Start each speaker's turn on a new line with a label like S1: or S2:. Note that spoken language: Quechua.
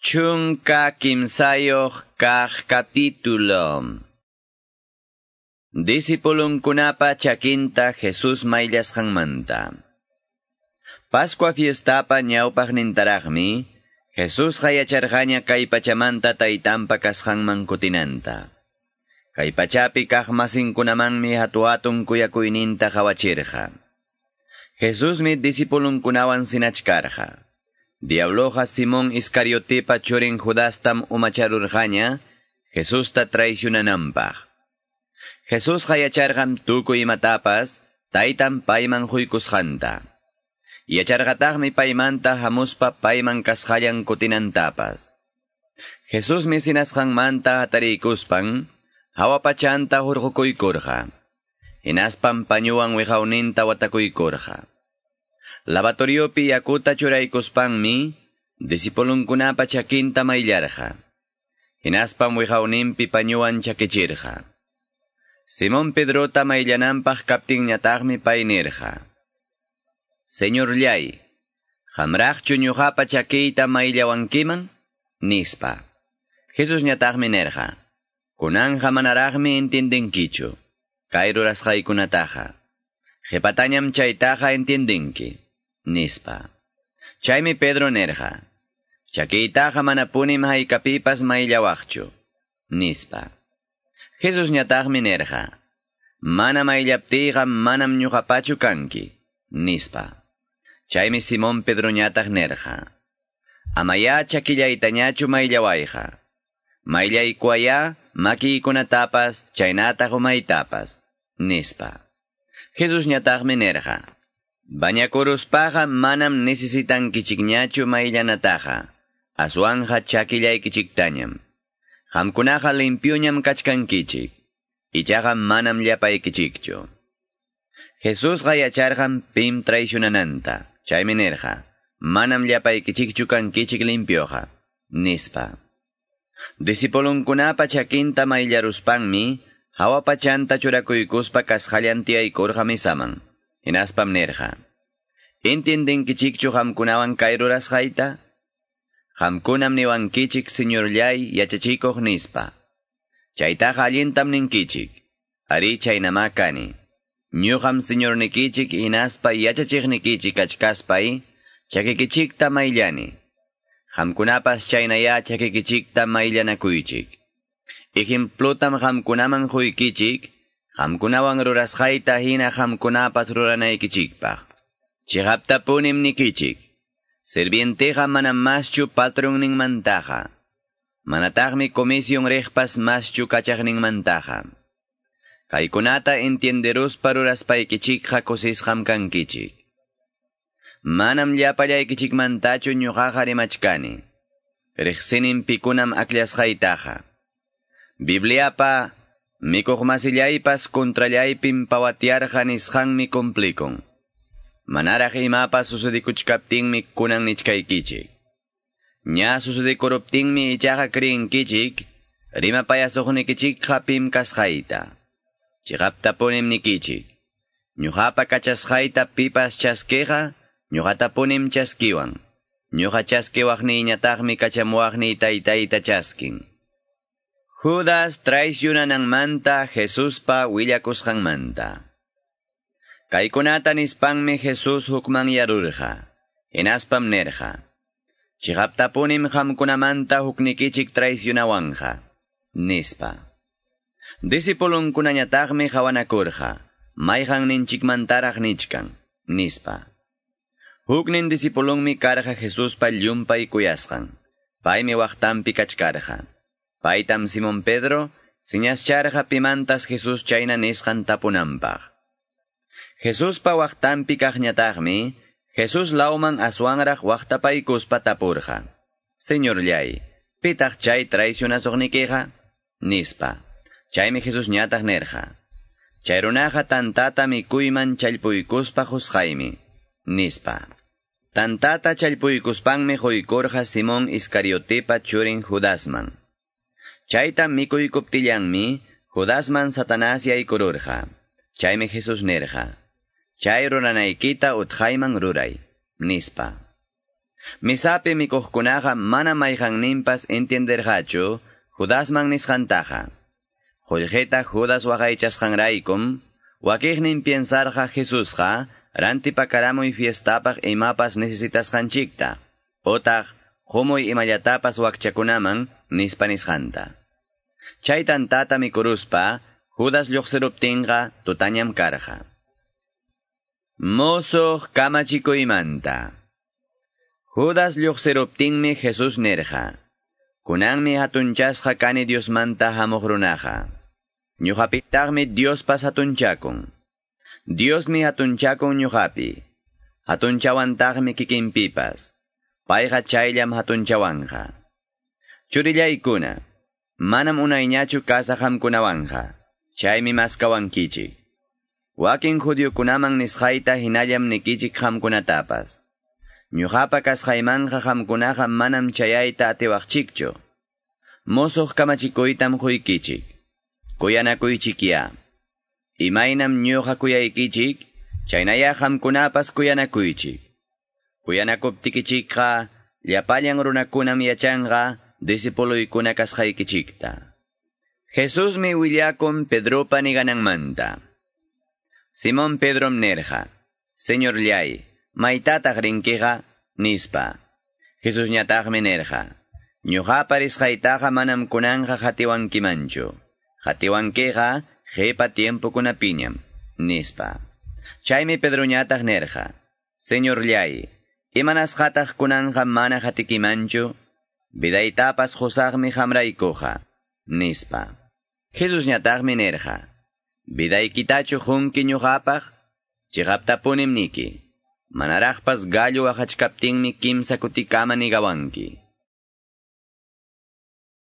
S1: 13 kaq capítulo. Discipulunkunapa chakinta Jesús mayllasqanmanta. Pascua fiestapa ñawpaqnintaraqmi, Jesusqa yacharqaña kay pachamanta taytanpa kasqanman kutinanta. Kay pachapi kaq masinkunamanmi hatu-hatun kuyakuyninta qawachirqa. Jesusmi discipulunkunawan sinachkarqa. Diabloqa Simón Iscariotepa churin Judastam umacharurqaña, Jesusta traicionananpaq. Jesusqa yacharqam tukuy imatapas, taytan payman huykusqanta. Yacharqataqmi paymanta hamuspa payman kasqallan kutinantapas. Jesusmi sinasqanmanta hatariykuspan, hawa pachanta hurqukuykurqa. Hinaspam pañuwan wiqawninta watakuykurqa. Lavatoriopi yakuta churaykuspanmi, discipulunkunapa chakinta mayllarqa. Hinaspam wiqawninpi pañuwan chakichirqa. Simón Pedrota mayllananpaq kaptinñataqmi pay nirqa: Señorllay, qamraqchu ñuqapa chakiyta mayllawankiman? Nispa. Jesusñataqmi nirqa: Kunanqa manaraqmi entiendenkichu kay rurasqaykunataqa. Qhipatañam chaytaqa entiendenki, nispa. Chaymi Pedro nirqa: Chakiytaqa manapunim haykapipas mayllawaqchu, nispa. Jesusñataqmi nirqa: Mana mayllaptiyqa manam ñuqapachu kanki, nispa. Chaymi Simón Pedroñataq nirqa: Amaya chakillaytañachu mayllawayqa. Mayllaykuwaya makiykunatapas chaynataq umaytapas, nispa. Jesusñataqmi nirqa: Bañakuruspaqa manam necesitankichikñachu mayllanataqa, aswanqa chakillaykichiktañam. Qamkunaqa limpioñam kachkankichik, ichaqa manam llapaykichikchu. Jesusqa yacharqam pim traicionananta, chaymi nirqa: Manam llapaykichikchu kankichik limpioqa, nispa. Discipulunkunapa chakinta mayllaruspanmi, hawa pachanta churakuykuspa kasqallan tiyaykurqa misaman. Hinaspam nirqa: Entiendenkichikchu qamkunawan kay rurasqayta? Qamkunam niwankichik Señorllay yachachikuq nispa. Chaytaqa allintam ninkichik. Ari chaynamá kani. Ñuqam Señornikichik hinaspa yachachiqnikichik kachkaspay chakikichikta mayllani. Qamkunapas chaynayá chakikichikta mayllanakuychik. Ejemplotam qamkunaman quykichik, qamkunawan rurasqayta hina qamkunapas ruranaykichikpaq. Chiqaptapunim nikichik. Sirvienteqa manam maschu patronninmantaqa. Manataqmi comisión riqpas maschu kachaqninmantaqa. Kaykunata entienderuspa ruraspaykichikqa kusisqam kankichik. Manam llapallaykichikmantachu ñuqaqa rimachkani. Riqsinim pikunam akllashqaytaqa. Bibliapa mikuqmasillaypas contrallaypim pawatiarqa nisqanmi cumplikun. Manaraq imapas sucedikuchkaptinmi kunan nichkaykichik. Ña sucedikuruptinmi ichaqa creenkichik, rimapayasuqnikichikqa pim kasqayta. Chiqaptapunim nikichik. Ñuqapa kachasqayta pipas chaskiqa, ñuqatapunim chaskiwan. Ñuqa chaskiwaqniyñataqmi kachamuwaqniy taytayta chaskin. Judas traicionananmanta Jesuspa willakusqanmanta. Kaykunata nispanmi Jesús hukmanyarurqa. Hinaspam nirqa: Chiqaptapunim qamkunamanta huknikichik traicionawanqa, nispa. Discipulunkunañataqmi qawanakurqa: Mayqanninchikmantaraq nichkan, nispa. Huknin discipulunmi karqa Jesuspa llumpay kuyasqan. Paymi waqtanpi kachkarqa. Paytam Simón Pedro siñascharqa pimantas Jesús chayna nisqan tapunanpaq. Jesuspa waqtanpi kaqñataqmi, Jesús lawman aswanraq waqtapaykuspa tapurqa: Señorllay, pitaq chay traicionasuqnikiqa? Nispa. Chaymi Jesusñataq nirqa: Chay runaqa tantata mikuyman challpuykuspa husqaymi, nispa. Tantata challpuykuspanmi quykurqa Simón Iscariotepa churin Judasman. Chayta mikuykuptillanmi Judasman Satanás yaykururqa. Chaymi Jesús nirqa: Chay ruranaykita utqayman ruray, nispa. Misapi mikuqkunaqa mana mayqanninpas entienderqachu Judasman nisqantaqa. Qullqita Judas waqaychasqanraykum, wakiqnin piensarqa Jesusqa rantipakaramuy fiestapaq imapas necesitasqanchikta, otaq qumuy imallatapas wakchakunaman nispa nisqanta. Chay tantata mikuruspa, Judas lluqsiruptinqa tutañam karqa. Musuq kamachikuymanta. Judas lluqsiruptinmi Jesús nirqa: Kunanmi hatunchasqa kani Diosmanta hamuq runaqa. Ñuqapitaqmi Diospas hatunchakun. Diosmi hatunchakun ñuqapi. Hatunchawantaqmi kikinpipas. Payqa chayllam hatunchawanqa. Churillaykuna, manam unayñachu kasaq qamkunawanqa. Chaymi maskawankichik. Wakin judiokunaman nisqayta hinallam nikichik qamkunatapas. Ñuqapa kasqaymanqa qamkunaqa manam chayayta atiwaqchikchu. Musuq kamachikuytam quykichik. Kuyanakuychikya. Imaynam ñuqa kuyaykichik, chaynaya qamkunapas kuyanakuychik. Kuyanakuptikichikqa llapallan runakunam yachanqa disipuluykuna kasqaykichikta. Jesusmi willakun Pedropa nigananmanta. Simón Pedrom nirqa: Señorllay, maytataq rinkiqa, nispa. Jesusñataqmi nirqa: Ñuqapa risqaytaqa manam kunanqa qatiwankimanchu. Qatiwankiqa qipa tiempokunapiñam, nispa. Chaymi Pedroñataq nirqa: Señorllay, imanasqataq kunanqa mana qatikimanchu? Vidaytapas qusaqmi qamraykuqa, nispa. Jesusñataqmi nirqa: Vidaykitachu qunki ñuqapaq? Chiqaptapunim niki. Manaraqpas gallo waqachkaptinmi kimsa kutikama nigawanki.